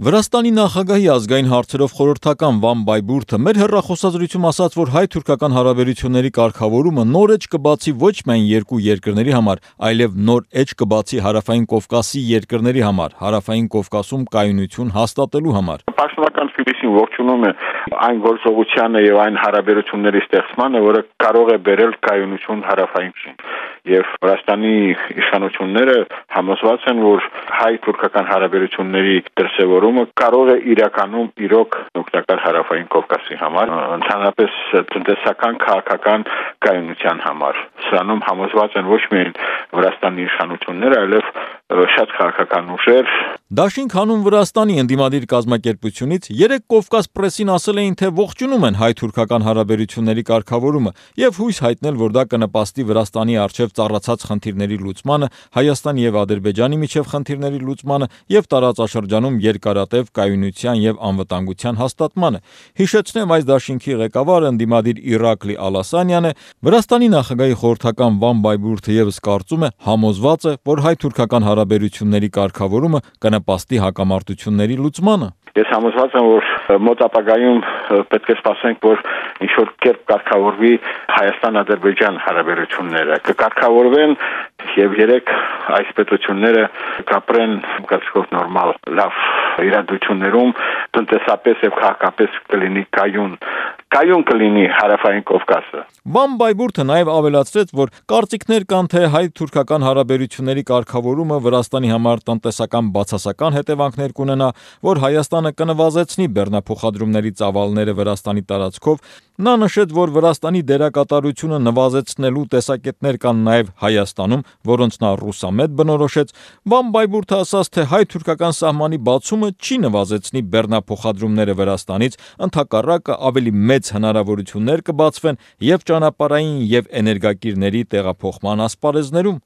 Վրաստանի նախագահի ազգային հարցերով խորհրդական Վան Բայբուրթը մեր հեռախոսազրույցում ասաց, որ հայ-թուրքական հարաբերությունների կարգավորումը նոր էջ կբացի ոչ միայն երկու երկրների համար, այլև նոր էջ կբացի Հարավային Կովկասի երկրների համար, Հարավային Կովկասում կայունություն հաստատելու համար։ Պաշտոնական Թբիլիսին ողջունում է այն գործողությանը եւ այն հարաբերությունների ստեղծմանը, որը կարող է բերել կայունություն հարավային եւ Վրաստանի իշխանությունները համոզված են, որ հայ-թուրքական հարաբերությունների դրսևորումը կարող է իրականում իրոք օգտակար Հարավային Կովկասի համար, ընդհանրապես տնտեսական, քաղաքական կայունության համար։ Սրանում համոզված են ոչ միայն Վրաստանի իշխանությունները, այլև շատ քաղաքական ուժեր։ Դաշինք հանուն Վրաստանի ընդդիմադիր կազմակերպությունից երեք Կովկաս պրեսին ասել էին, թե ողջունում են հայ-թուրքական հարաբերությունների կարգավորումը եւ հույս հայտնել, որ դա կնպաստի Վրաստանի առջև ծառացած խնդիրների լուծմանը, Հայաստանի եւ Ադրբեջանի միջև խնդիրների լուծմանը եւ տարածաշրջանում երկարատև կայունության եւ անվտանգության հաստատմանը։ Հիշեցնեմ, այս դաշինքի ղեկավարը ընդդիմադիր Իրակլի Ալասանյանն է, Վրաստանի նախագահի խորհրդական Վան Բայբուրթը եւս կարծում է, համոզված է, որ հայ-թուրքական հարաբերությունների կարգավորումը կնպաստի հակամարտությունների լուծմանը։ Ես համոզված եմ, որ մոտ ապագայում պետք է սպասենք, որ ինչ-որ կերպ կարգավորվի Հայաստան-Ադրբեջան հարաբերությունները, կկարգավորվեն եւ երեք այս պետությունները կապրեն կարծիքով նորմալ լավ իրադրություններում, տնտեսապես եւ քաղաքապես կլինի կայուն կլինի Հարավային Կովկասը։ Վան Բայբուրթը նաև ավելացրեց, որ կարծիքներ կան, թե հայ-թուրքական հարաբերությունների կարգավորումը Վրաստանի համար տնտեսական բացասական հետևանքներ կունենա, որ Հայաստանը կնվազեցնի բեռնափոխադրումների ծավալները Վրաստանի տարածքով։ Նա նշեց, որ Վրաստանի դերակատարությունը նվազեցնելու տեսակետներ կան նաև Հայաստանում, որոնց նա ռուսամետ բնորոշեց։ Վան Բայբուրթը ասաց, թե հայ-թուրքական սահմանի բացումը չի նվազեցնի բեռնափոխադրումները Վրաստանից, ընդհակառակը ավելի մեծ հնարավորություններ կբացվեն եւ ճանապարհային եւ էներգակիրների տեղափոխման ասպարեզներում։